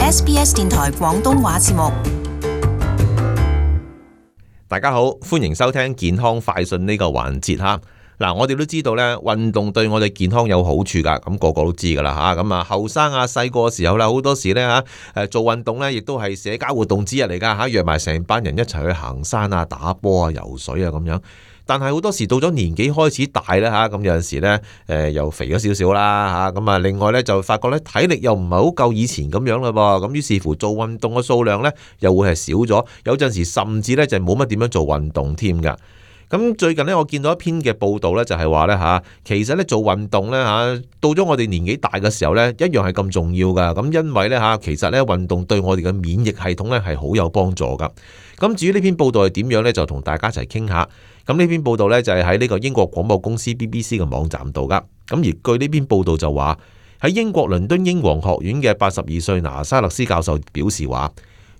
SBS 電台廣東話節目。大家好，歡迎收聽健康快訊呢個環節哈。嗱，我哋都知道咧，運動對我哋健康有好處噶，咁個個都知噶啦吓。咁啊，後生啊，細個嘅時候啦，好多時咧吓，做運動咧，亦都係社交活動之一嚟噶吓，約埋成班人一齊去行山啊、打波啊、游水啊咁樣。但係好多時到咗年紀開始大咧吓，咁有陣時咧，又肥咗少少啦吓，咁啊，另外咧就發覺咧體力又唔係好夠以前咁樣啦噃，咁於是乎做運動嘅數量咧又會係少咗，有陣時甚至咧就冇乜點樣做運動添噶。咁最近咧，我見到一篇嘅報道咧，就係話咧吓，其實咧做運動咧吓，到咗我哋年紀大嘅時候咧，一樣係咁重要噶。咁因為咧吓，其實咧運動對我哋嘅免疫系統咧係好有幫助噶。咁至於呢篇報道係點樣咧，就同大家一齊傾下。咁呢篇報道咧就係喺呢個英國廣播公司 BBC 嘅網站度噶。咁而據呢篇報道就話，喺英國倫敦英皇學院嘅82歲拿沙勒斯教授表示話，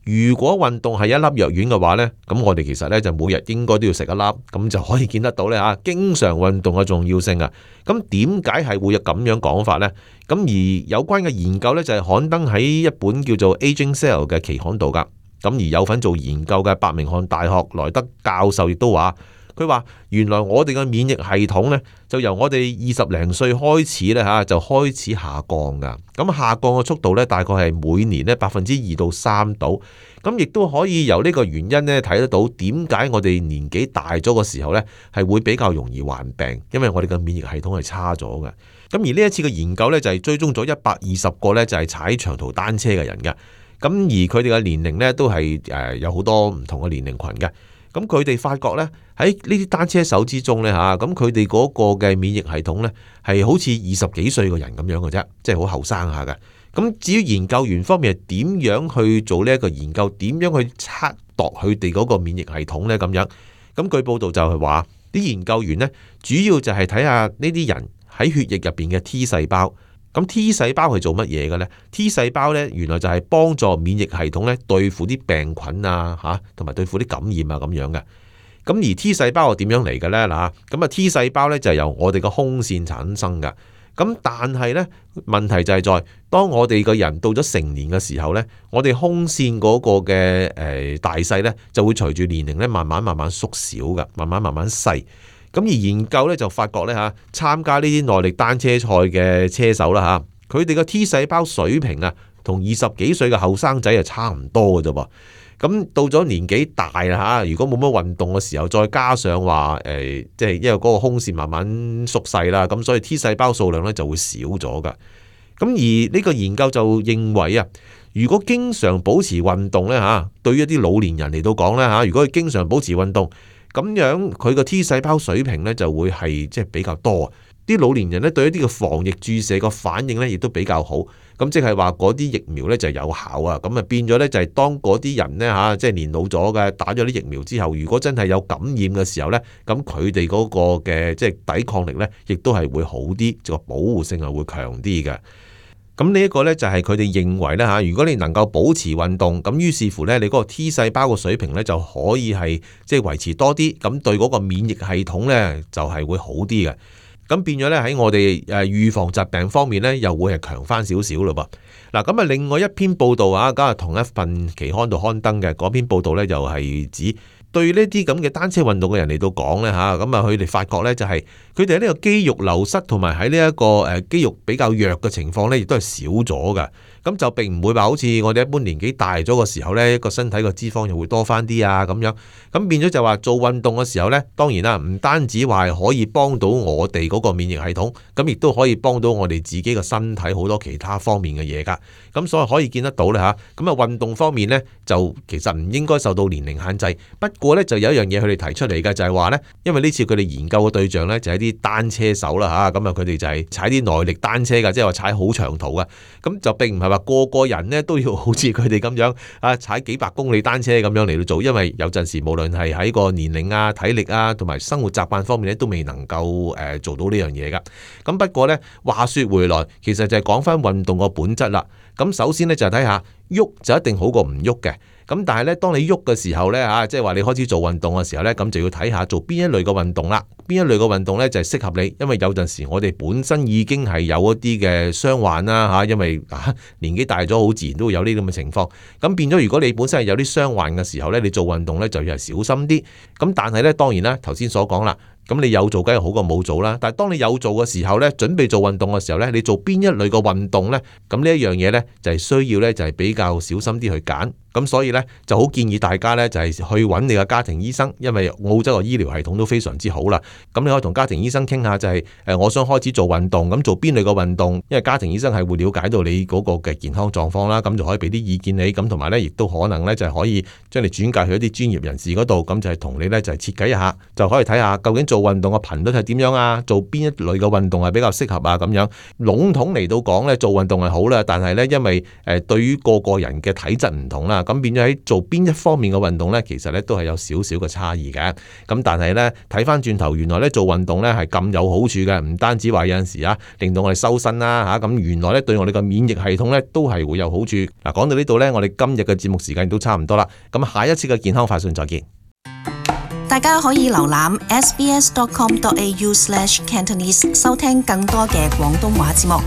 如果運動係一粒藥丸嘅話呢，咁我哋其實呢就每日應該都要食一粒，咁就可以見得到呢吓，經常運動嘅重要性啊。咁點解係會有咁樣講法呢？咁而有關嘅研究呢，就係刊登喺一本叫做 Aging Cell 嘅期刊度噶。咁而有份做研究嘅伯明翰大學萊德教授亦都話，佢話原來我哋嘅免疫系統呢，就由我哋20零歲開始呢吓，就開始下降噶。咁下降嘅速度呢，大概係每年呢2%到3%度。咁亦都可以由呢個原因呢睇得到點解我哋年紀大咗嘅時候呢，係會比較容易患病，因為我哋嘅免疫系統係差咗嘅。咁而呢一次嘅研究呢，就係追蹤咗120個呢，就係踩長途單車嘅人嘅。咁而佢哋嘅年齡呢，都係有好多唔同嘅年齡群嘅。咁佢哋發覺呢，喺呢啲單車手之中呢，吓，咁佢哋嗰個嘅免疫系統呢，係好似20幾歲嘅人咁樣嘅啫，即係好後生下嘅。咁至於研究員方面係點樣去做呢一個研究，點樣去測度佢哋嗰個免疫系統呢？咁樣，咁據報道就係話，啲研究員呢，主要就係睇下呢啲人喺血液入邊嘅 T 細胞。咁 T 細胞係做乜嘢嘅呢？ T 細胞呢，原來就係幫助免疫系統呢對付啲病菌啊吓，同埋對付啲感染啊咁樣嘅。咁而 T 細胞係點樣嚟嘅呢？嗱，咁啊 T 細胞呢，就係由我哋個胸腺產生噶。咁但係呢，問題就係在當我哋個人到咗成年嘅時候呢，我哋胸腺嗰個嘅大細呢，就會隨住年齡呢慢慢縮小噶，慢慢細。咁而研究咧就發覺咧嚇，參加呢啲耐力單車賽嘅車手啦嚇，佢哋嘅 T 細胞水平啊，同20幾歲嘅後生仔係差唔多嘅啫噃。咁到咗年紀大啦嚇，如果冇乜運動嘅時候，再加上話即係因為嗰個胸腺慢慢縮細啦，咁所以 T 細胞數量咧就會少咗噶。咁而呢個研究就認為啊，如果經常保持運動咧嚇，對於一啲老年人嚟到講咧嚇，如果佢經常保持運動，咁樣佢個 T 細胞水平咧就會係即係比較多，啲老年人咧對一啲嘅防疫注射個反應咧亦都比較好，咁即係話嗰啲疫苗咧就有效啊，咁啊變咗咧就係當嗰啲人咧嚇即係年老咗嘅打咗啲疫苗之後，如果真係有感染嘅時候咧，咁佢哋嗰個嘅即係抵抗力咧亦都係會好啲，個保護性係會強啲嘅。咁呢一個呢，就係佢哋認為呢吓，如果你能夠保持運動，咁於是乎呢，你嗰個 T 細胞嘅水平呢，就可以係即係維持多啲，咁對嗰個免疫系統呢，就係會好啲嘅。咁變咗呢，喺我哋預防疾病方面呢，又會係強翻少少咯噃。嗱，咁啊另外一篇報道啊，咁啊同一份期刊度刊登嘅嗰篇報道呢，又係指對呢啲咁嘅單車運動嘅人嚟到講呢，吓，咁啊佢哋發覺呢，就係佢哋喺呢個肌肉流失同埋喺呢一個肌肉比較弱嘅情況呢，亦都係少咗㗎。咁就並唔會話好似我哋一般年紀大咗嘅時候呢，個身體個脂肪又會多翻啲啊咁樣。咁變咗就話做運動嘅時候呢，當然啦，唔單止話係可以幫到我哋嗰個免疫系統，咁亦都可以幫到我哋自己嘅身體好多其他方面嘅嘢噶。咁所以可以見得到咧吓，咁啊運動方面呢，就其實唔應該受到年齡限制。不過呢，就有一樣嘢佢哋提出嚟嘅就係話呢，因為呢次佢哋研究嘅對象呢，就係啲單車手啦吓，咁啊佢哋就係踩啲耐力單車噶，即係話踩好長途噶。咁就並唔係話個個人呢都要好似佢哋咁樣啊踩幾百公里單車咁樣嚟到做，因為有陣時無論係喺個年齡啊、體力啊同埋生活習慣方面呢，都未能夠做到呢樣嘢噶。咁不過呢，話說回來，其實就係講翻運動個本質啦。咁首先呢，就係睇下，喐就一定好過唔喐嘅。咁但係咧，當你喐嘅時候咧嚇，即係話你開始做運動嘅時候咧，咁就要睇下做邊一類嘅運動啦。邊一類嘅運動咧就係適合你，因為有陣時我哋本身已經係有一啲嘅傷患啦嚇，因為年紀大咗，好自然都會有呢啲咁嘅情況。咁變咗，如果你本身係有啲傷患嘅時候咧，你做運動咧就要係小心啲。咁但係咧，當然啦，頭先所講啦。咁你有做梗係好過冇做啦，但係當你有做嘅時候咧，準備做運動嘅時候咧，你做邊一類嘅運動咧？咁呢一樣嘢咧就係需要咧就係比較小心啲去揀。咁所以咧就好建議大家咧就係去揾你嘅家庭醫生，因為澳洲嘅醫療系統都非常之好啦。咁你可以同家庭醫生傾下就係我想開始做運動，咁做邊類嘅運動？因為家庭醫生係會了解到你嗰個嘅健康狀況啦，咁就可以俾啲意見你，咁同埋咧亦都可能咧就係可以將你轉介去一啲專業人士嗰度，咁就係同你咧就係設計一下，就可以睇下究竟做運動嘅頻率係點樣啊？做邊一類嘅運動係比較適合啊？咁樣籠統嚟到講咧，做運動係好啦，但係咧因為對於個人嘅體質唔同啦，咁變咗喺做邊一方面嘅運動咧，其實咧都係有少少嘅差異嘅。咁但係咧睇翻轉頭，原來咧做運動咧係咁有好處嘅，唔單止話有陣時令到我哋修身啦嚇，咁原來咧對我哋嘅免疫系統咧都係會有好處。嗱，講到呢度咧，我哋今日嘅節目時間都差唔多啦。咁下一次嘅健康快訊再見。大家可以瀏覽 sbs.com.au/cantonese 收聽更多嘅廣東話節目。